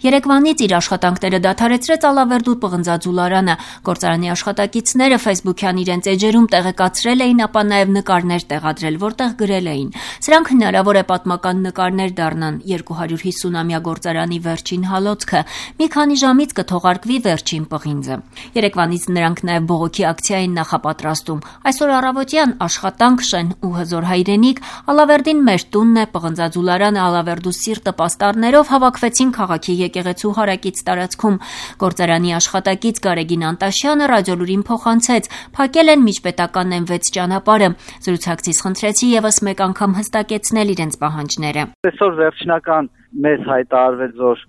Երեկվանից իր աշխատանքները դադարեցրեց Ալավերդու պղնձաձու Լարանը։ Գործարանի աշխատակիցները Facebook-յան իրենց էջերում տեղեկացրել էին, ապա նաև նկարներ տեղադրել, որտեղ գրել էին. «Սրանք հնարավոր է պատմական նկարներ դառնան, 250-ամյա գործարանի վերջին հալոցքը, մի քանի ժամից կթողարկվի վերջին պղինձը»։ Երեկվանից նրանք նաև բողոքի ակցիա էին նախապատրաստում։ Այսօր առավոտյան աշխատանք, շեն ու հզոր հայրենիք, Ալավերդին մեր տունն է, պղնձաձու Լարանը, Ալավերդու սիրտը պաստառներով հավաքվեցին քաղաքի եկեղեցու հարակից տարածքում։ Գործարանի աշխատակից Գարեգին Անտաշյանը ռադիոլուրին փոխանցեց. «Փակել են միջպետական N6 ճանապարհը»։ Զրուցակցից խնդրեցի եւս մեկ անգամ հստակեցնել իրենց պահանջները։ Այսօր վերջնական մեզ հայտարարվեց, որ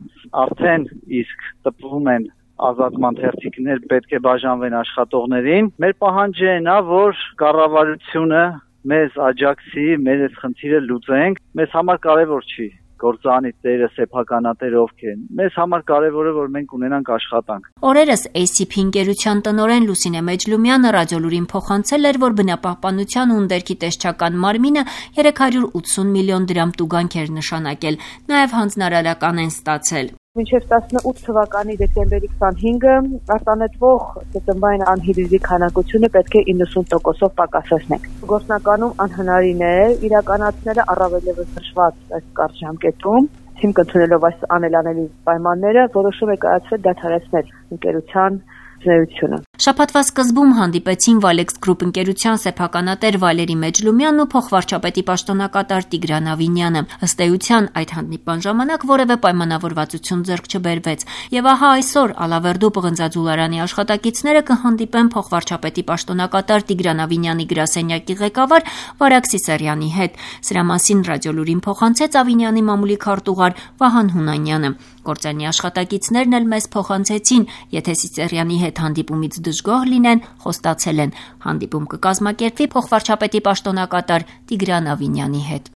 արդեն իսկ տպվում են ազատման թերթիկներ, պետք է բաժանվեն աշխատողներին։ Մեր պահանջը այն է, որ կառավարությունը մեզ աջակցի, մեր այս խնդիրը լուծենք։ Մեզ համար կարևոր չի գործարանի տերը, սեփականատերը ովքեր են։ Մեզ համար կարևորը, որ մենք ունենանք աշխատանք։ Օրերս ACP ընկերության տնօրեն Լուսինե Մեջլումյանը ռադիոլուրին փոխանցել էր, որ բնապահպանության ու ընդերքի տեսչական մարմինը 380 միլիոն դրամ տուգանք էր նշանակել, նաև հանձնարարական են ստացել։ Մինչև 18 թվականի դեկտեմբերի 25-ը արտանետվող ծծմբային անհիդրիդի քանակությունը պետք է 90%-ով պակասեցնենք։ Գործնականում անհնարին է իրականացնելը առավել ևս դժվար այս կարճ ժամկետում։ Հիմք ընդունելով այս անելանելի պայմանները, որոշում է կայացվել դադարեցնել ընկերության ծնեությունը։ Շաբաթվա սկզբում հանդիպեցին Valex Group ընկերության սեփականատեր Վալերի Մեջլումյանն ու փոխվարչապետի պաշտոնակատար Տիգրան Ավինյանը։ Ըստ էության այդ հանդիպման ժամանակ որևէ պայմանավորվածություն ձեռք չբերվեց։ Եվ ահա այսօր Ալավերդու պղնձաձու Լարանի աշխատակիցները կհանդիպեն փոխվարչապետի պաշտոնակատար Տիգրան Ավինյանի գրասենյակի ղեկավար Վարակ Սիսարյանի հետ։ Սրա մասին ռադիոլուրին փոխանցեց Ավինյանի մամուլի քարտուղար Վահան Հունանյանը։ Գործարանի աշխատակիցներն էլ մեզ փոխանցեցին, եթե Սիսարյանի հետ հանդիպումից դժգոհ լինեն, խոստացել են, հանդիպում կկազմակերպվի փոխվարչապետի պաշտոնակատար Տիգրան Ավինյանի հետ։